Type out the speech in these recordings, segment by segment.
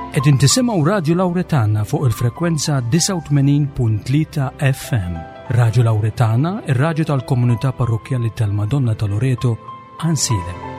Qegħdin tisimgħu Radju Lawretana fuq il-frekwenza 89.3 FM. Radju Lawretana, ir-radju tal-komunità parrokkjali tal-Madonna ta' Loreto, Ansilem.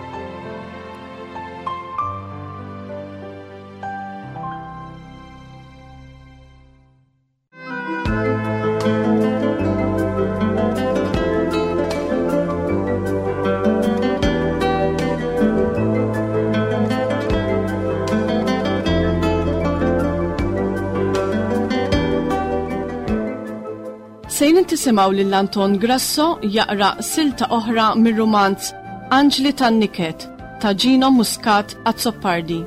Sejrin tisimgħu lil Anton Grasso jaqra silta oħra mir-rumanz Anġli tan-Niket ta' Gino Muscat Azzopardi.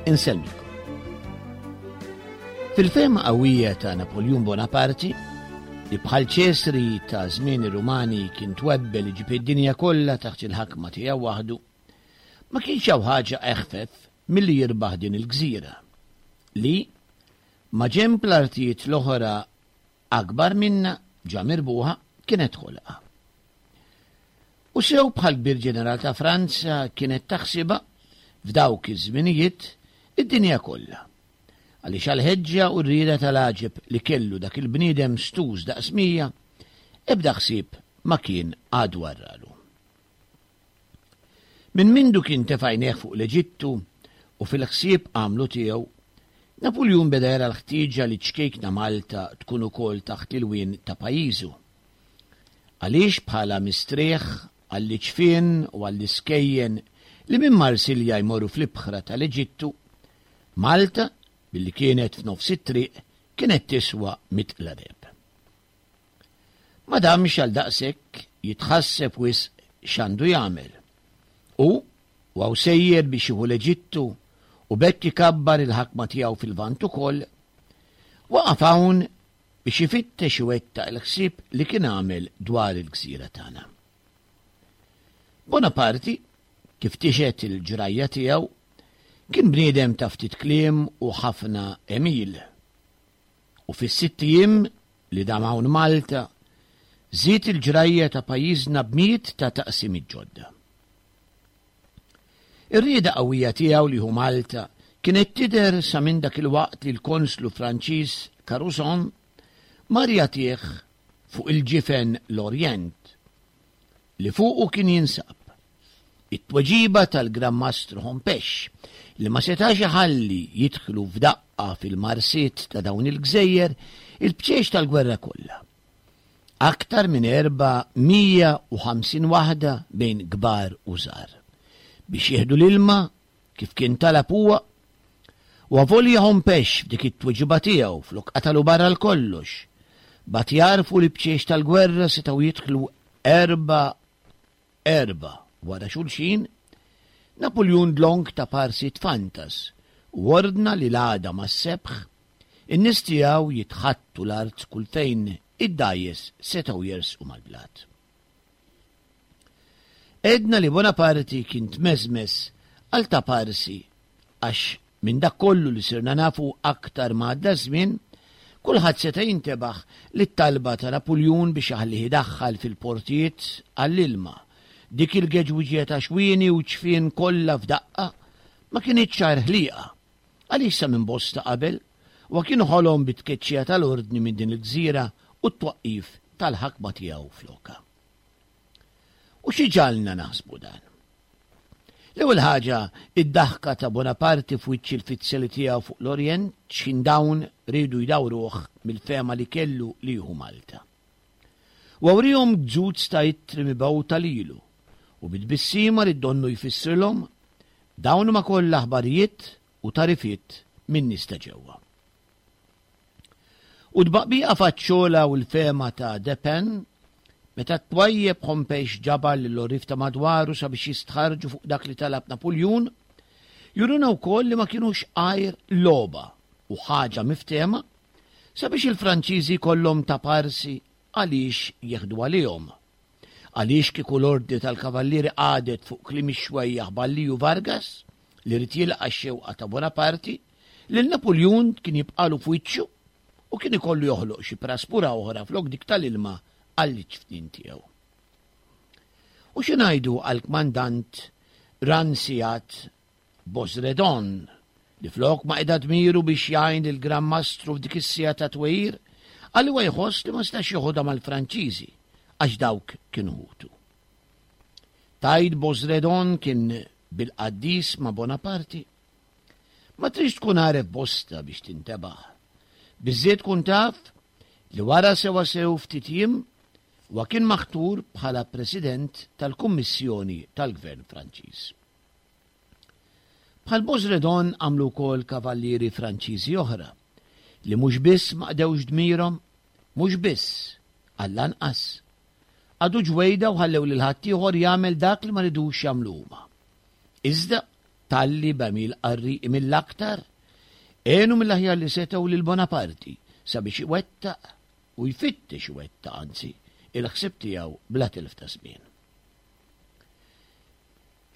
Insellmikom. Fil-fehma qawwija ta' Napoljun Bonaparti, li bħal Ċesri ta' żmien ir-Rumani kien twebbel iġib id-dinja kollha taħt il-ħakma tiegħu waħdu, ma kienx hawn ħaġa eħfef milli jirbaħ din il-gżira, li, maġenb l-artijiet l-oħra akbar minnha ġa mirbuħa, kienet ħolqa. U sew bħal kbir ġeneral ta' Franza kienet taħsibha, f'dawk iż-żminijiet, id-dinja kollha. Għaliex għall-ħeġġa u r-rieda tal-għaġeb li kellu dak il-bniedem stuż daqs mija, ebda ħsieb ma kien għadu għarralu. Minn mindu kien tefa' għajnejh fuq l-Eġittu u fil-ħsieb għamlu tiegħu, Napuljun beda jara l-ħtieġa li ċ-ċkejkna Malta tkun ukoll taħt l-ilwien ta' pajjiżu. Għaliex bħala mistrieħ għall-iġfien u għall-iskejjen li minn Marsilja jmorru fl-ibħra tal-Eġittu, Malta, billi kienet f'nofs it-triq, kienet tiswa mitqla deheb. Ma damx għal daqshekk jitħasseb wisq x'għandu jagħmel. U, u hawn sejjer biex jieħu l-Eġittu u b'hekk ikabbar il-ħakma tiegħu fil-Lvant ukoll, waqaf hawn biex ifittex iwettaq il-ħsieb li kien għamel dwar il-gżira tagħna. Bonaparti, kif tixhed il-ġrajja tiegħu, kien bniedem ta' ftit kliem u ħafna għemil. U fis-sitt ijiem li dam hawn Malta, żied il-ġrajja ta' pajjiżna b'mijiet ta' taqsimiet ġodda. Ir-rieda qawwija tiegħu li jieħu Malta kienet tidher sa minn dak il-waqt li l-konslu Franċiż Caruson mar jagħtih fuq il-ġifen l-Orjent li fuqu kien jinsab. It-tweġiba tal-Gran Mastru Hompesch li ma setax iħalli jidħlu f'daqqa fil-marsiet ta' dawn il-gżejjer il-bċiex tal-gwerra kollha. Aktar minn 450 waħda bejn kbar u żgħar. Biex jieħdu l-ilma kif kien talab huwa, u avolja Hompesch f'dik it-tweġiba tiegħu flok qatalu barra 'l kollox, bagħat jagħrfu li bċiex tal-gwerra setgħu jidħlu erba' wara xulxin, Napuljun dlonk ta' parsi tfantas u ordna li l-għada mas-sebħ, in-nies tiegħu jitħattu l-art kull fejn id-dgħajjes setgħu jersqu mal-blat. Għedna li Bonaparti kien tmeżmeż għal ta' parsi għax minn dak kollu li sirna nafu aktar ma għadda ż-żmien, kulħadd seta' jintebaħ li t-talba ta' Napuljun biex iħallih idaħħal fil-portijiet għall-ilma dik il-geġwiġija ta' xwieni u ċfien kollha f'daqqa ma kinitx għajr ħlieqa għaliex sa minn bosta qabel huwa kien ħolom bit-tkeċċija tal-Ordni minn din il-gżira u t-twaqqif tal-ħakma tiegħu flokha. U xi ġagħalna naħsbu dan? L-ewwel ħaġa, id-daħka ta' Bonaparti f'wiċċ il-fizzjali tiegħu fuq l-Orjent x'ħin dawn riedu jdawruh mill-fehma li kellu li jieħu Malta. Huwa wriehom gzuz ta' ittri mibgħuta lilu u bi tbissima li donnu jfissrilhom, dawn huma kollha aħbarijiet u tagħrifiet min-nies ta' ġewwa. U tbaqbiqa faċċola u l-fehma ta' Depen, meta t-twajjeb Hompesch ġabar lill-għorrief ta' madwaru sabiex jistħarrġu fuq dak li talab Napuljun, juruna wkoll li ma kinux għajr logħba u ħaġa miftehma sabiex il-Franċiżi jkollhom ta' parsi għaliex jieħdu għalihom. Għaliex kieku l-Ordni tal-Kavallieri qagħdet fuq kliem ix-xwejjaħ Balliju Vargas, li ried jilqa' x-xewqa ta' Bonaparti, lil Napuljun kien jibqagħlu f'wiċċu? u kien ikollu joħloq xi praspura oħra flok dik tal-ilma għall-iċfnin tiegħu. U xi ngħidu għall-kmandant Ranciat Bosredon, li flok ma qeda dmiru biex jgħin lill-Gran Mastru f'dik is-siegħa ta' twejjir, għal huwa jħoss li ma setax joħodha mal-Franċiżi għax dawk kienu ħutu. Tgħid Bosredon kien bil-qaddis ma' Bonaparti? Ma tridx tkun għaref bosta biex tintebaħ. Biżżejjed tkun taf li wara sewwasew ftit jiem huwa kien maħtur bħala President tal-Kummissjoni tal-Gvern Franċiż. Bħal Bosredon għamlu wkoll kavallieri Franċiżi oħra li mhux biss ma qdewx dmirhom, mhux biss, għall-anqas, qagħdu ġwejda u ħallew lil ħaddieħor jagħmel dak li ma ridux jagħmlu huma. Iżda, talli b'għemil qarrieqi mill-aktar, għenu mill-aħjar li setgħu lil Bonaparti sabiex iwettaq, u jfittex iwettaq anzi, il-ħsieb tiegħu bla telf ta' żmien.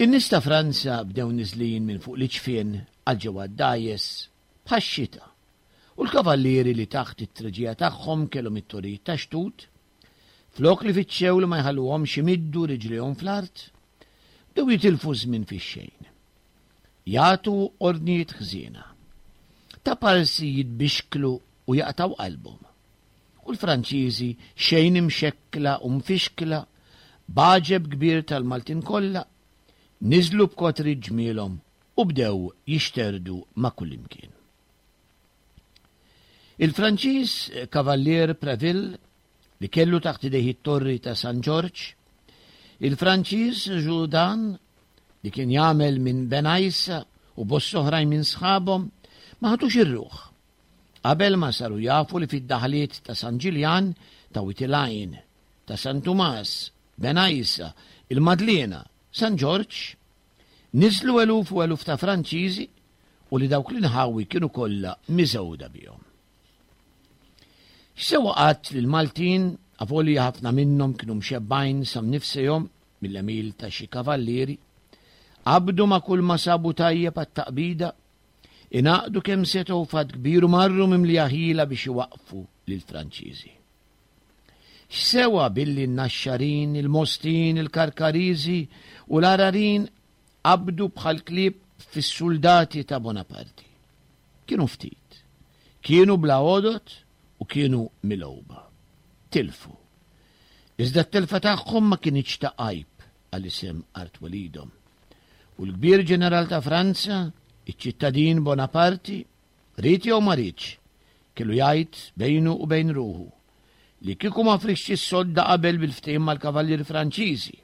In-nies ta' Franza bdew niżlin minn fuq l-iġfien għal ġewwa d-dgħajjes bħax-xita, u l-kavallieri li taħt it-treġija tagħhom kellhom it-torijiet tax-xtut, flok li fittxew li ma jħalluhomx imiddu riġlejhom fl-art, bdew jitilfu ż-żmien fix-xejn. Jagħtu ordnijiet ħżiena. Taparsi jitbixklu u jaqtgħu qalbhom. U l-Franċiżi xejn imxekkla u mfixkla, b'għaġeb kbir tal-Maltin kollha, niżlu b'kotriet ġmielhom u bdew jixterdu ma' kullimkien. Il-Franċiż Kavallier Preville, li kellu taħt idejh it-torri ta' San Ġorġ, il-Franċiż Jourdan, li kien jagħmel minn Benajsa u bosta oħrajn minn sħabhom, ma ħadux ir-ruħ. Qabel ma saru jafu li fid-daħliet ta' San Ġiljan, ta' Wied il-Għajn, ta' San Tumas, Bengħajsa, il-Madliena, San Ġorġ, niżlu eluf u eluf ta' Franċiżi u li dawk l-inħawi kienu kollha miżgħuda bihom. X'sewa qatt li l-Maltin, avolja ħafna minnhom kienu mxebbgħin sa mnifsejhom mill-għemil ta' xi kavallieri, qabdu ma' kulma sabu tajjeb għat-taqbida Ingħaqdu kemm setgħu f'għadd kbir u marru mimlija ħila biex iwaqqfu lill-Franċiżi. X'sewa billi n-Naxxarin, il-Mostin, il-Karkariżi u l-Għararin qabdu bħal klieb fis-suldati ta' Bonaparti. Kienu ftit. Kienu bla għodod u kienu milgħuba. Tilfu. Iżda t-telfa tagħhom ma kinitx ta' għajb għal isem art twelidhom. U l-kbir ġeneral ta' Franza, iċ-ċittadin Bonaparti, ried jew ma riedx, kellu jgħid bejnu u bejn ruħu li kieku ma frixx is-sodda qabel bil-ftehim mal-kavallieri Franċiżi,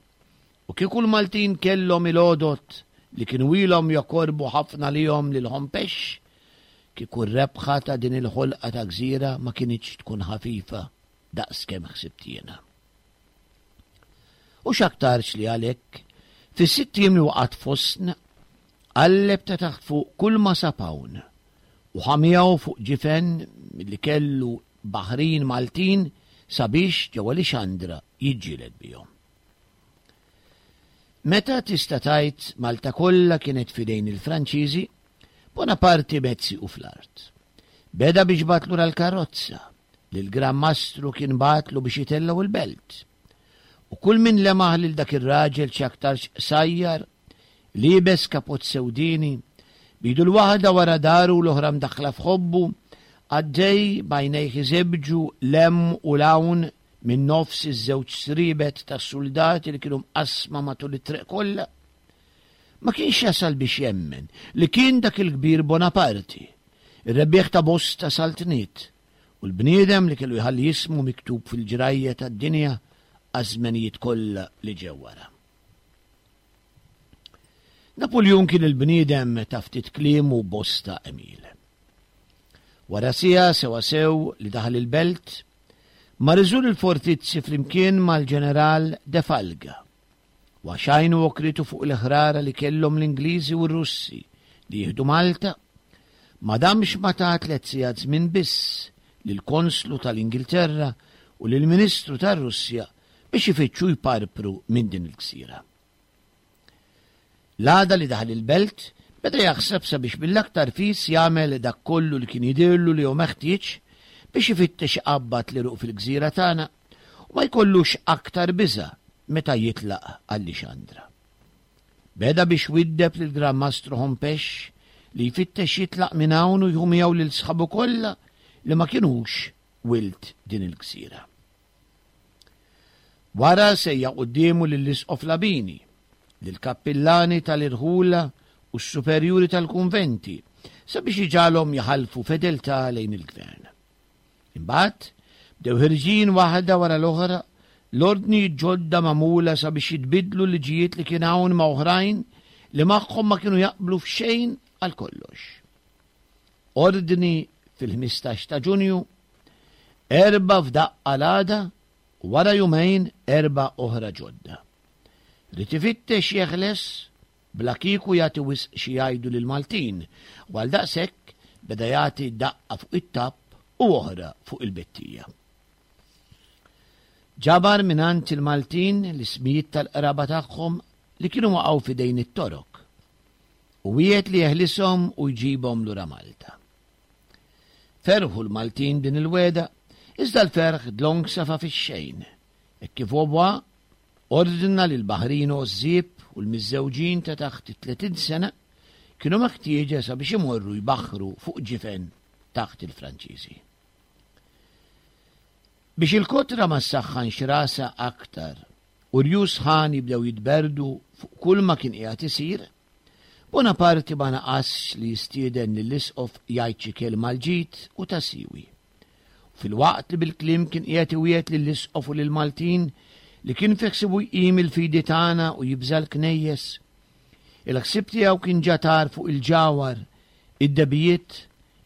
u kieku l-Maltin kellhom il-għodod li kienu ilhom jokorbu ħafna lihom lil Hompesch, kieku r-rebħa ta' din il-ħolqa ta' gżira ma kinitx tkun ħafifa daqs kemm ħsibt jiena. U x'aktarx li għalhekk, fis-sitt jiem li waqgħet fostna, qalleb ta' taħt fuq kull ma sab hawn, u ħa miegħu fuq ġifen li kellu baħrin Maltin sabiex ġewwa Lixandra jiġġieled bihom. Meta tista' tgħid Malta kollha kienet f'idejn il-Franċiżi, Bonaparti mezz siequ fl-art. Beda biex bagħat lura l-karozza, li l-Gran Mastru kien bagħatlu biex itellgħu l-belt. U kull min lemaħ lil dak ir-raġel x'aktarx qsajjar, liebes kapott sewdieni, b'idu l-waħda wara daru u l-oħra mdaħħla f'ħobbu, għaddej b'għajnejh iżebbġu 'l hemm u 'l hawn minn nofs iż-żewġ sriebet tas-suldati li kienu mqassma matul it-triq kollha, ma kienx jasal biex jemmen li kien dak il-kbir Bonaparti, ir-rebbieħ ta' bosta saltniet, u l-bniedem li kellu jħalli ismu miktub fil-ġrajja tad-dinja għaż-żmenijiet kollha li ġew wara. Napuljun kien il-bniedem ta' ftit kliem u bosta għemil. Wara siegħa sewwasew li daħal il-belt, mar iżur il-fortizzi flimkien mal-ġeneral De Falga U għax għajnu għokritu fuq il-ħrara li kellhom l-Ingliżi u r-Russi li jieħdu Malta, ma damx ma ta tlett sigħat żmien biss lill-Konslu tal-Ingilterra u lill-Ministru tar-Russja biex ifittxu jparpru minn din il-gżira. L-għada li daħal il-belt, beda jaħseb sabiex mill-aktar fis jagħmel dak kollu li kien jidhirlu li hu meħtieġ biex ifittex iqabbad l-għeruq fil-gżira tagħna u ma jkollux aktar biża' meta jitlaq għal Lixandra. Beda biex widdeb lill-Gran Mastru Hompesch li jfittex jitlaq minn hawn u jħu miegħu lil sħabu kollha li ma kinux wild din il-gżira. Wara sejjaħ quddiemu lill-Isqof Labini, lill-kappillani tal-irħula u s-superjuri tal-kunventi sabiex iġagħalhom jaħalfu fedeltà lejn il-gvern. Imbagħad bdew ħirġin waħda wara l-oħra l-ordnijiet ġodda magħmula sabiex jitbiddlu l-liġijiet li kien hawn ma' oħrajn li magħhom ma kienu jaqblu f'xejn għal kollox. Ordni fil-15 ta' Ġunju, erbgħa f'daqqa l-għada u wara jumejn erbgħa oħra ġodda. Ried ifittex jeħles bla kieku jagħti wisq xi jgħidu lill-Maltin u għaldaqshekk beda jagħti daqqa fuq it-tapp u oħra fuq il-bettija. Ġabar mingħand il-Maltin l-ismijiet tal-qraba tagħhom li kienu waqgħu f'idejn it-Torok u wiegħed li jeħlishom u jġibhom lura Malta. Ferħu l-Maltin din il-wegħda, iżda l-ferħ dlonk safa fix-xejn, hekk kif Vaubois ordna li l-baħrin għożżieb u l-miżżewġin ta' taħt it-30 sena kienu meħtieġa sabiex imorru jbaħħru fuq ġifen taħt il-Franċiżi. Biex il-kotra ma ssaħħanx rasha aktar u rjus sħan jibdew jitberrdu fuq kulma kien qiegħed isir, Bonaparti ma naqasx li jistieden lill-Isqof jgħid xi kelma għall-ġid u ta' siwi. U filwaqt li bil-kliem kien qiegħed iwiegħed lill-Isqof u lill-Maltin li kien fi ħsiebu jqim il-fidi tagħna u jibża' l-knejjes, il-ħsieb tiegħu kien ġa tar fuq il-ġawhar, id-dehbijiet,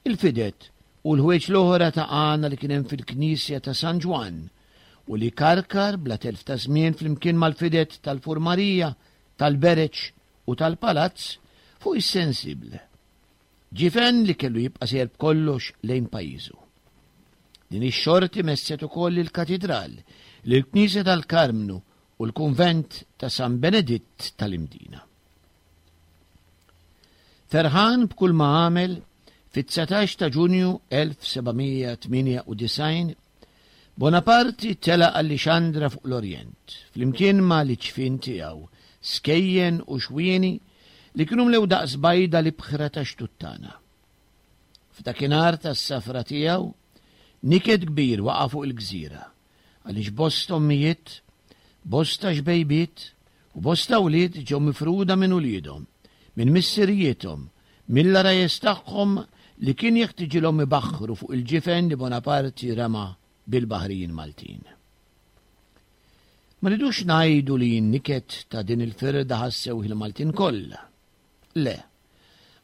il-fided u l-ħwejġ l-oħra ta' għana li kien hemm fil-knisja ta' San Ġwann u li karkar bla telf ta' żmien flimkien mal-fided tal-furmarija, tal-bereġ u tal-palazz fuq is-Sensible. Ġifen li kellu jibqa' sejjer b'kollox lejn pajjiżu. Din ix-xorti messet ukoll lill-Katidral, lill-Knisja tal-Karmnu u l-Kunvent ta' San Beneditt tal-Imdina. Ferħan b'kull ma għamel, fit-19 ta' Ġunju 1798, Bonaparti telaq għal Lixandra fuq l-Orjent, flimkien ma' l-iċfien tiegħu, skejjen u xwieni li kienu mlew daqs bajda l-ibħra ta' xtuttana. F'dakinhar tas-safra tiegħu, niket kbir waqa' fuq il-gżira, għaliex bosta ommijiet, bosta xbejbiet u bosta wlied ġew mifruda minn uliedhom, minn missirijiethom, mill-għarajjes tagħhom li kien jeħtiġilhom ibaħħru fuq il-ġifen li Bonaparti rema bil-baħrijin Maltin. Ma rridux ngħidu li n-niket ta' din il-firda ħassewh il-Maltin kollha. Le,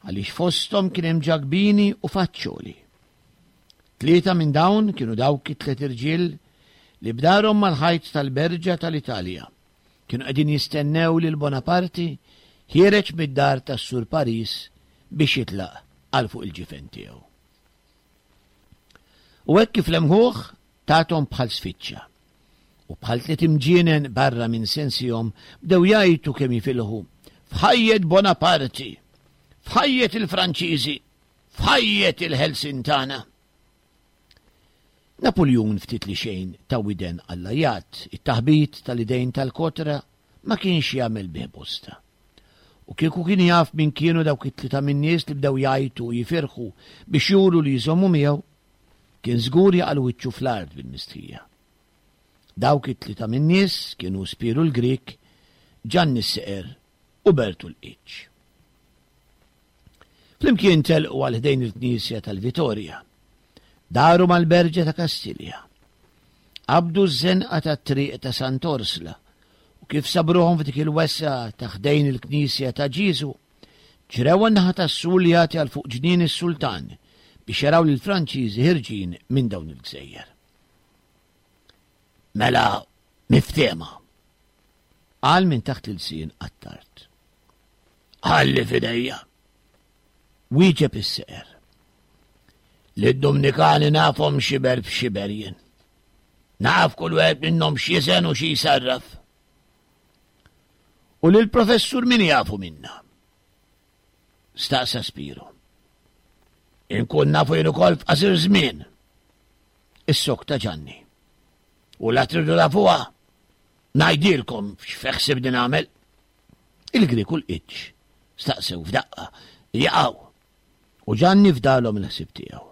għaliex fosthom kien hemm Ġakbini u Faċċoli. Tlieta minn dawn kienu dawk it-tliet irġiel li b'darhom mal-ħajt tal-Berġa tal-Italja kienu qegħdin jistennew lil Bonaparti ħiereġ mid-dar tas-Sur Paris biex jitlaq għal fuq il-ġifen tiegħu. U hekk kif lemħuh tathom bħal sfiċċa. U bħal tliet imġienen barra minn sensihom bdew jgħajtu kemm jifilħu, F'ħajjet Bonaparti! F'ħajjet il-Franċiżi! F'ħajjet il-ħelsien tagħna! Napuljun ftit li xejn ta widen għall-għajat, it-taħbit tal-idejn tal-kotra ma kienx jagħmel bih bosta. U kieku kien jaf min kienu dawk it-tlieta min-nies li bdew jgħajtu u jifirħu biex juru li jżommu miegħu, kien żgur jaqal wiċċu fl-art bil-mistħija. Dawk it-tlieta min-nies kienu Spiru l-Grieg, Ġanni s-Seqer u Bertu l-Qiċ. Flimkien telqu għal ħdejn il-knisja tal-Vitorja. Daru mal-berġa ta' Kastilja. Qabdu ż-żenqa tat-triq ta' Sant'Orsla u kif sabruhom f'dik il-wesgħa ta' ħdejn il-knisja ta' Ġieżu, ġrew għan-naħa tas-sul li jagħti għal fuq ġnien is-sultan biex jaraw lill-Franċiżi ħirġin minn dawn il-gżejjer. Mela miftehma, qal minn taħt l-ilsien Attard. Ħalli f'idejja. Wieġeb is-seqer. Li d-Dumnikani nafhom xiber b'xiber jien. Naf kull wieħed minnhom x'jiżen u xi jsarraf. U lil professur min jafu minna? Staqsa Spiro. Inkun nafu jien ukoll f'qasir żmien. Issokta Ġanni. U la tridu tafuha, ngħidilkom x'feħsibni nagħmel. Il-Grieg u l-Qiċ staqsew f'daqqa, jaqgħu. U Ġanni fdalhom il-ħsieb tiegħu.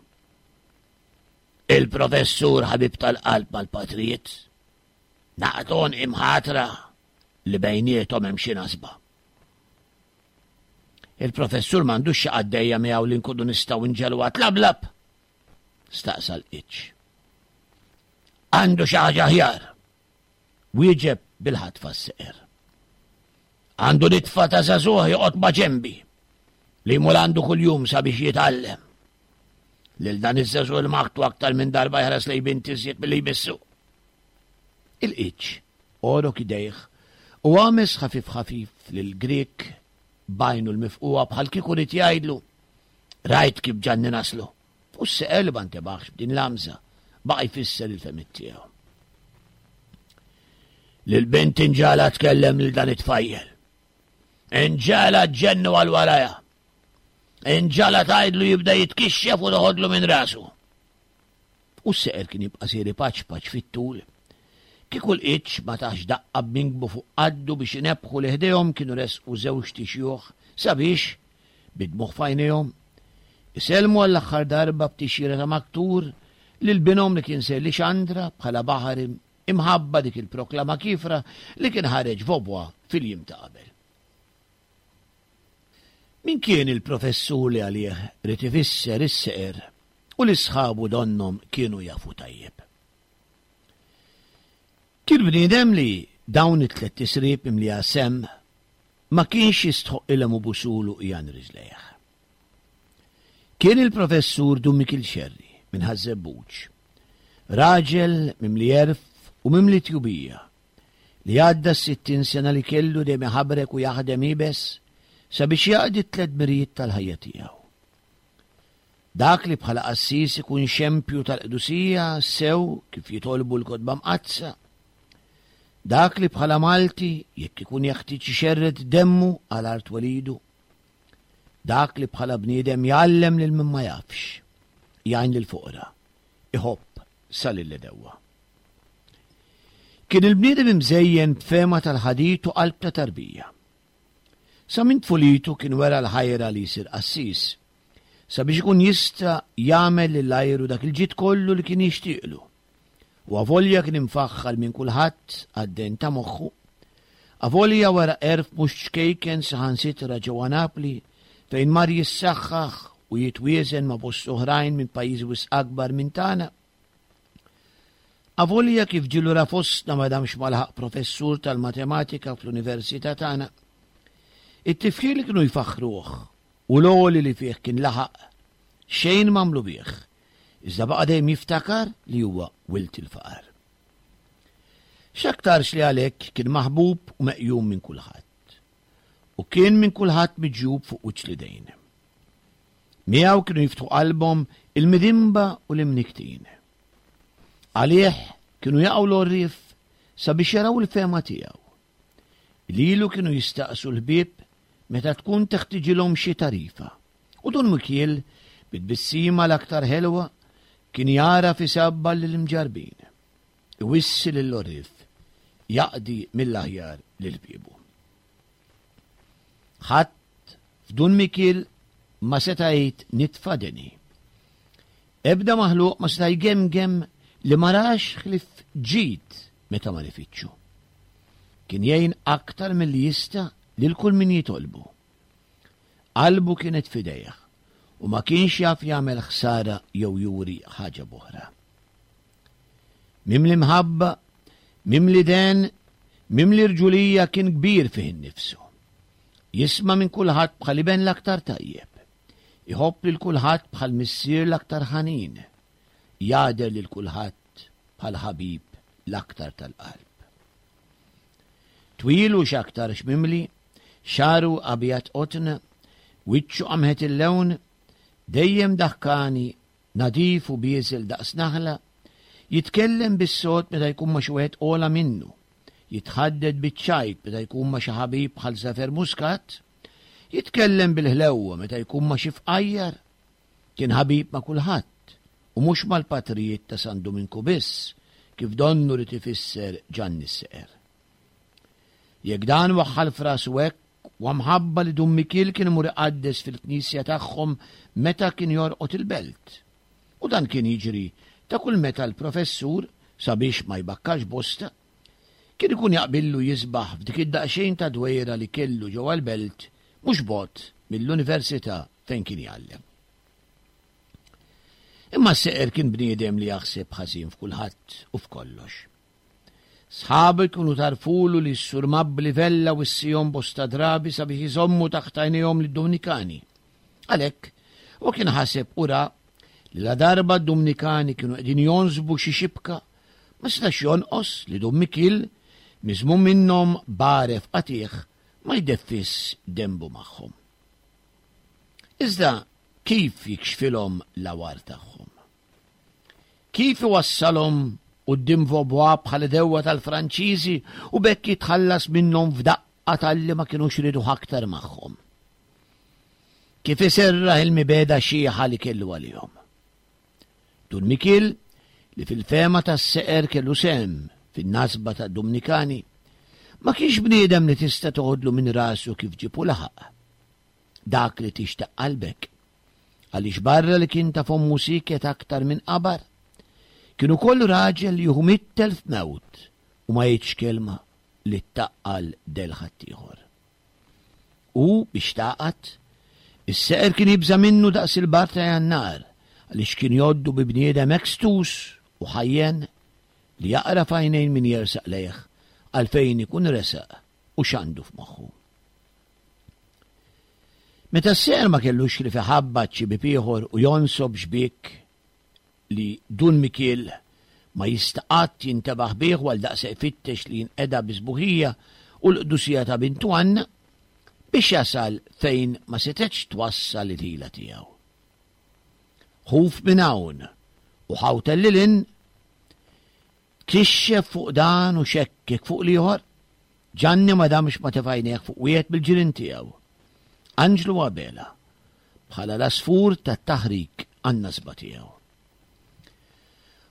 Il-professur ħabib tal-qalb mal-patrijiet, naqton imħatra li bejniethom hemm xi nasba. Il-professur m'għandux xi qaddejja miegħu li nkunu nistgħu nġelwa tlablab? Staqsa l-qiċ. Għandu xi ħaġa aħjar. Wieġeb bil-ħatfa s-seqer. Għandu nitfa ta' żagħżugħ joqgħod ma' ġenbi li jmur għandu kuljum sabiex jitgħallem. Lil dan iż-żagħżugħ il-maħtu aktar minn darba jħares lejn binti iżjed milli jmissu. Il-qiċ għorok idejh u għames ħafif ħafif lil Grieg b'għajnu l-mifqugħa bħal kieku ried jgħidlu, Rajt kif Ġanni naslu. U s-seqer li ma ntebaħx b'din l-għamża baqa' jfisser il-fehmiet tiegħu. Lil bint inġala tkellem lil dan it-tfajjel. Inġala ġennu għal waraja. Inġala tgħidlu jibda jitkixxef u toħodlu minn rasu. U s-seqer kien jibqa' sejri paċ paċ fit-tul. Kieku l-qiċ ma tax daqqa b'minkbu fuq qaddu biex inebbħu li ħdejhom kienu resqu żewġt ixjuħ sabiex, bid-dmugħ f'għajnejhom, isellmu għall-aħħar darba b'tixjira ta' maktur lil binhom li kien ser Lixandra bħala baħar imħabba dik il-proklama kiefra li kien ħareġ Vaubois fil-jiem ta' qabel. Min kien il-professur li għalih ried ifisser is-seqer u li sħabu donnhom kienu jafu tajjeb? Kien bniedem li dawn it-tlett tisrib mimlija semm ma kienx jistħoqqilhom ibusulu qiegħan riġlejh. Kien il-Professur Dun Mikiel Xerri minn Ħaż-Żebbuġ, raġel mimli għerf u mimli tjubija, li għadda s-60 sena li kellu dejjem iħabrek u jaħdem iebes sabiex jaqdi t-tlett dmirijiet tal-ħajja tiegħu. Dak li bħala qassis ikun xempju tal-qdusija sew kif jitolbu l-Kotba Mqaddsa. Dak li bħala Malti jekk ikun jeħtieġ ixerred demmu għal art twelidu. Dak li bħala bniedem jgħallem lil min ma jafx, jgħin lill-foqra, iħobb sa lill-għedewwa. Kien il-bniedem imżejjen b'fehma tal-ħadid u qalb ta' tarbija. Sa minn tfulitu kien wera l-ħajra li jsir qassis, sabiex ikun jista' jagħmel lil għajru dak il-ġid kollu li kien jixtieqlu. U avolja kien imfaħħar minn kulħadd għad-dehen ta' moħħu, avolja wera għerf mhux ċkejken saħansitra ġewwa Napli fejn mar jissaħħaħ u jitwieżen ma' bosta oħrajn minn pajjiżi wisq akbar minn tagħna, Avolja kif ġie lura fostna ma damx ma laħaq professur tal-matematika fl-università tagħna, it-tifħir li kienu jfaħħruh u l-għoli li fih kien laħaq, xejn m'għamlu bih, iżda baqa' dejjem jiftakar li huwa wild il-faqar. X'aktarx li għalhekk kien maħbub u meqjum minn kulħadd, u kien minn kulħadd miġjub fuq wiċċ l-idejn. Miegħu kienu jiftħu qalbhom il-midinba u l-imnikktin. Għalih kienu jaqgħu l-għorrief sabiex jaraw il-fehma tiegħu. Lilu kienu jistaqsu l-ħbieb meta tkun teħtiġilhom xi tarifa. U Dun Mikiel, bi tbissima l-aktar ħelwa, kien jagħraf isabbar lill-imġarrbin, iwissi lill-għorrief, jaqdi mill-aħjar lil ħbiebu. Ħadd f'Dun Mikiel ma seta' jgħid nitfa' deni. Ebda maħluq ma seta' jgemgem li ma rax ħlief ġid meta mar ifittxu. Kien jgħin aktar milli jista' lil kull min jitolbu. Qalbu kienet f'idejh u ma kienx jaf jagħmel ħsara jew juri ħaġa b'oħra. Mimli mħabba, mimli den, mimli rġulija kien kbir fih innifsu. Jisma' minn kulħadd bħal iben l-aktar tajjeb. Iħobb lil kulħadd bħal missier l-aktar ħanin. Jagħder lil kulħadd bħal ħabib l-aktar tal-qalb. Twil u x'aktarx mimli, xagħru abjad qotn, wiċċu qamħet il-lewn, dejjem daħkani Nadif u bieżel daqs naħla, jitkellem bis-sod meta jkun ma' xi wieħed ogħla minnu, jitħaddet biċ-ċajt meta jkun ma' xi ħabib bħal Safer Muscat, jitkellem bil-ħlewwa meta jkun ma' xi fqajjar, kien ħabib ma' kulħadd. u mhux mal-patrijiet ta' San Duminku biss, kif donnu ried ifisser Ġanni s-Seqer. Jekk dan waħħal f'rasu hekk, huwa mħabba li Dun Mikiel kien imur iqaddes fil-knisja tagħhom meta kien jorqod il-belt. U dan kien jiġri ta' kull meta l-professur, sabiex ma jbakkax bosta, kien ikun jaqbillu jisbaħ f'dik id-daqsxejn ta' dwejra li kellu ġewwa l-belt mhux bogħod mill-università fejn kien jgħallem. Imma s-seqer kien bniedem li jaħseb ħażin f'kulħadd u f'kollox. Sħabu jkunu tarfulu li s-Sur Mabbli Vella wissihom bosta drabi sabiex iżommu taħt għajnejhom lid-Dumnikani. Għalhekk, huwa kien ħaseb u ra li ladarba d-Dumnikani kienu qegħdin jonsbu xi xibka, ma setax jonqos li Dun Mikiel, miżmum minnhom b'għaref qatigħ, ma jdeffis denbu magħhom. Iżda kif jikxfilhom l-għawar tagħhom? Kif iwassalhom quddiem Vaubois bħala dewwa tal-Franċiżi u b'hekk jitħallas minnhom f'daqqa talli ma kinux rieduh aktar magħhom? Kif iserraħ il-mibegħda xiħa li kellu għalihom? Dun Mikiel, li fil-fehma tas-seqer kellu sehem fin-nasba tad-Dumnikani, ma kienx bniedem li tista' toħodlu minn rasu kif ġieb u laħaq. Dak li tixtaq qalbek. Għaliex barra li kien ta' fommu sieket aktar minn qabar, kien ukoll raġel li jieħu mittelf mewt u ma jgħidx kelma li ttaqqal del ħaddieħor. U, biex tagħqad, is-seqer kien jibża' minnu daqs il-bar ta' Jannar, għaliex kien jgħoddu bi bniedem hekk stus u ħajjen li jaqra f'għajnejn min jersaq lejh għalfejn ikun resaq u x'għandu f'moħħu. Meta s-seqer ma kellux ħlief iħabbat xi bieb ieħor u jonsob xbiek li Dun Mikiel ma jista' qatt jintebaħ bih u għaldaqshekk ifittex li jinqeda bis-sbuħija u l-qdusija ta' bintu Anna biex jasal fejn ma setgħetx twassal il-ħila tiegħu. Ħuf minn hawn u ħawtel lil hinn, tkixxef fuq dan u xekkek fuq l-ieħor, Ġanni ma damx ma tefa' għajnejh fuq wieħed mill-ġirien tiegħu, Anġlu Abela, bħala l-għasfur tat-taħrik għan-nasba tiegħu.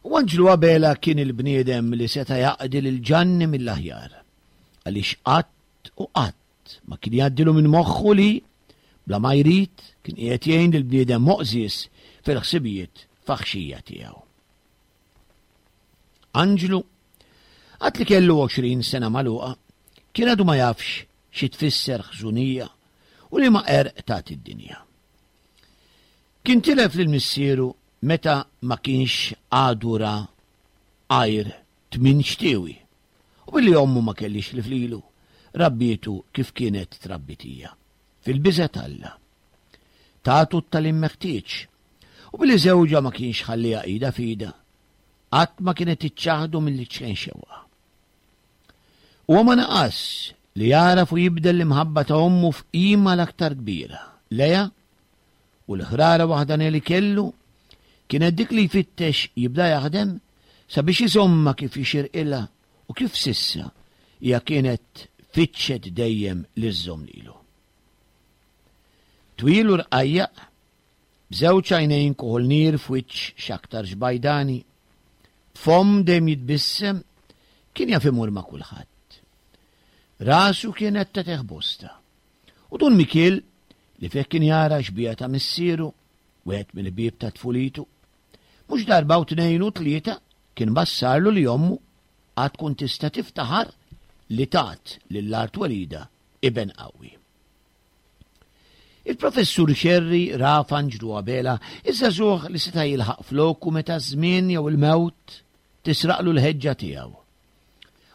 U Anġlu Abela kien il-bniedem li seta' jaqdi lil Ġanni mill-aħjar, għaliex qatt u qatt ma kien jgħaddilu minn moħħu li, bla ma jrid, kien qiegħed jgħin lil bniedem moqżież fil-ħsibijiet faħxija tiegħu. Anġlu, għad li kellu 20 sena magħluqa, kien għadu ma jafx xi tfisser ħżunija u liema qerq tagħti d-dinja. Kien tilef lil missieru meta ma kienx għadu ra għajr tmien xtiewi u billi ommu ma kellhiex ħlief lilu, rabbietu kif kienet trabbit hija, fil-biża' t'Alla. Tatu t-tagħlim meħtieġ U billi żewġha ma kienx ħalliha ida f'ida, qatt ma kienet iċċaħdu mill-iċken xewqa. Huwa ma naqas li jagħraf u jibdel l-imħabba ta' ommu f'qima l-aktar kbira lejha u l-ħrara waħdanija li kellu kienet dik li jfittex jibda jaħdem sabiex iżommha kif jixirqilha u kif s'issa hija kienet fittxet dejjem li żżomm lilu. Twil u rqajjaq, B'żewġ għajnejn kuħol nier f'wiċċ x'aktarx bajdani, b'fomm dejjem jitbissem, kien jaf imur ma' kulħadd. Rasu kienet tagħtih bosta. U Dun Mikiel, li fih kien jara xbieha ta' missieru, wieħed mill-ħbieb ta' tfulitu, mhux darba u tnejn u tlieta kien bassarlu li ommu għad tkun tista' tiftaħar li tat lil art twelidha iben qawwi. Il-Professur Scerri ra f'Anġlu Abela iż-żagħżugħ li seta' jilħaq floku meta ż-żmien jew il-mewt tisraqlu l-ħeġġa tiegħu.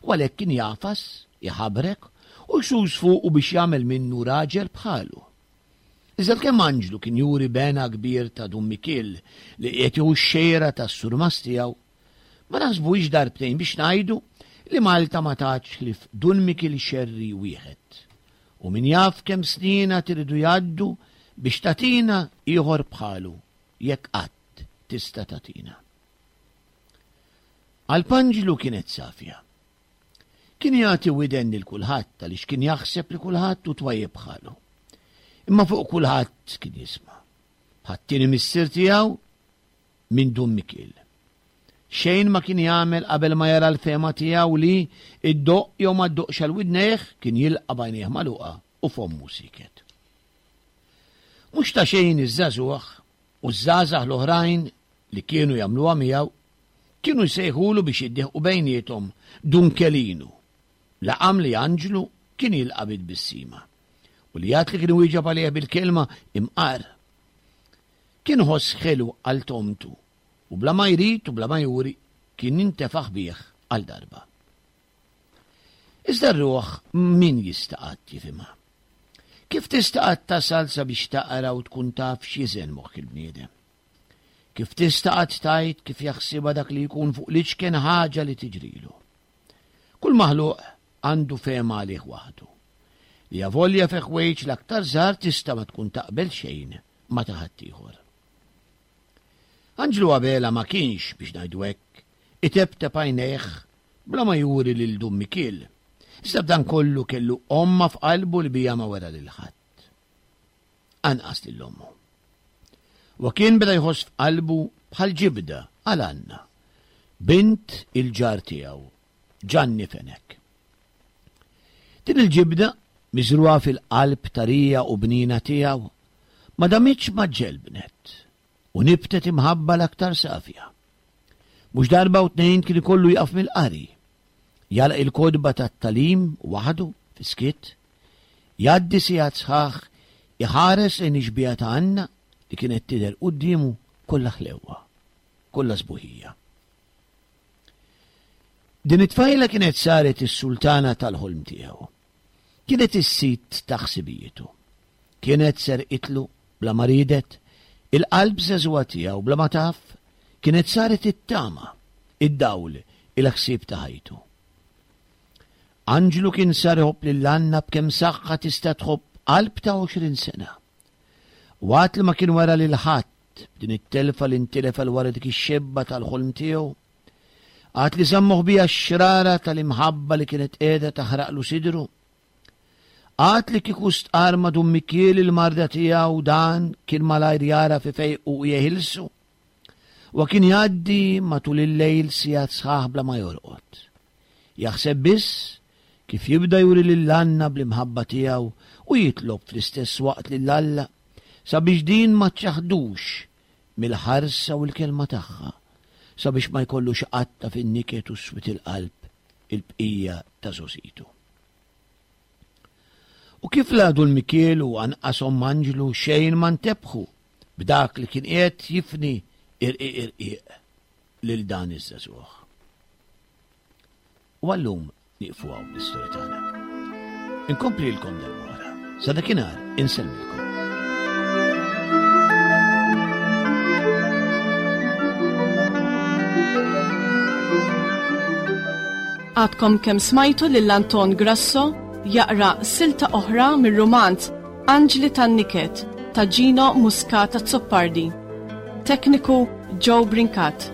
U għalhekk kien jagħfas, iħabrek u jsus fuqu biex jagħmel minnu raġel bħalu. Iżda kemm Anġlu kien juri b'hena kbir ta' Dun Mikiel li qiegħed jieħu x-xejra tas-surmast tiegħu, Ma naħsbuhiex darbtejn biex ngħidu li Malta ma tatx ħlief Dun Mikiel Xerri wieħed. U min jaf kemm snin għad iridu jgħaddu biex tagħtina ieħor bħalu, jekk qatt tista' tagħtina. Qalb Anġlu kienet safja. Kien jagħti widen lil kulħadd għaliex kien jaħseb li kulħadd hu twajjeb bħalu. Imma fuq kulħadd kien jisma'. Bħat-tieni missier tiegħu. minn Dun Mikiel. Xejn ma kien jagħmel qabel ma jara l-fehma tiegħu li, iddoqq jew ma ddoqqx għal widnejh, kien jilqa' b'għajnejh magħluqa u fommu sieket. Mhux ta' xejn iż-żagħżugħ u ż-żgħażagħ l-oħrajn li kienu jagħmluha miegħu kienu jsejħulu biex jiddieħqu bejniethom Dun Kelinu, laqam li Anġlu kien jilqa' bi tbissima u li għad li kien iwieġeb għalih bil-kelma imqar. Kien ħoss ħelu għal tomtu u bla ma jrid u bla ma juri kien intefaħ bih għal darba. Iżda r-ruħ min jista' qatt jifhimha? Kif tista' qatt tasal sabiex taqra u tkun taf x'jiżen moħħ il-bniedem? Kif tista' qatt tgħid kif jaħsibha dak li jkun fuq l-iċken ħaġa li tiġrilu? Kull maħluq għandu fehma għalih waħdu. Li avolja fi ħwejġ l-aktar żgħar tista' ma tkun taqbel xejn ma' ta' ħaddieħor. Anġlu Abela ma kienx, biex ngħidu hekk, iteptep għajnejh bla ma juri lil Dun Mikiel. Iżda b'dan kollu kellu omma f'qalbu li bija ma wera lil ħadd. Anqas lil ommu. Wa kien beda jħoss f'qalbu bħal ġibda għal Anna, bint il-ġar tiegħu, Ġanni Fenech. Din il-ġibda, miżrugħa fil-qalb tarija u bnina tiegħu, ma damitx ma ġġelbnet u nibtet imħabba l-aktar safja. Mhux darba u tnejn kien ikollu jaqaf mill-qari, jagħlaq il-kotba tat-tagħlim waħdu fis-skiet, jgħaddi sigħat sħaħ iħares lejn ix-xbieha ta' Anna li kienet tidher quddiemu kollha ħlewwa, kollha sbuħija. Din it-tfajla kienet saret is-sultana tal-ħolm tiegħu. Kienet is-sid ta' ħsibijietu. Kienet serqitlu, bla ma riedet, il-qalb żagħżugħa tiegħu bla ma taf, kienet saret it-tama, id-dawl, il-ħsieb ta' ħajtu. Anġlu kien sar iħobb lil Anna b'kemm saħħa tista' tħobb qalb ta' 20 sena. Waqt li ma kien wera lil ħadd b'din it-telfa li ntilef għal wara dik ix-xebba tal-ħolm tiegħu, għad li żamm moħbija x-xrara tal-imħabba li kienet qiegħda taħraqlu sidru. Għad li kieku stqarr ma' Dun Mikiel il-marda tiegħu dan kien malajr jara fi fejqu u jeħilsu. Wa kien jgħaddi matul il-lejl sigħat sħaħ bla ma jorqod. Jaħseb biss kif jibda juri lil Anna bl-imħabba tiegħu u jitlob fl-istess waqt lil Alla sabiex din ma ċċaħdux mill-ħarsa u l-kelma tagħha, sabiex ma jkollux iqatta' fin-niket u s-swied il-qalb il-bqija ta' żgħożitu. U kif la Dun Mikiel u anqas Omm Anġlu xejn ma ntebħu b'dak li kien qiegħed jifni irqiq irqiq lil dan iż-żagħżugħ. U għallum nieqfu hawn l-istorja tagħna. Inkomplilkom darb'oħra. Sa dakinhar insellmilkom. Għadkom kemm smajtu lil Anton Grasso jaqra silta oħra mir-rumanz Anġli tan-Niket ta' Gino Muscat Azzopardi. Tekniku Joe Brincat.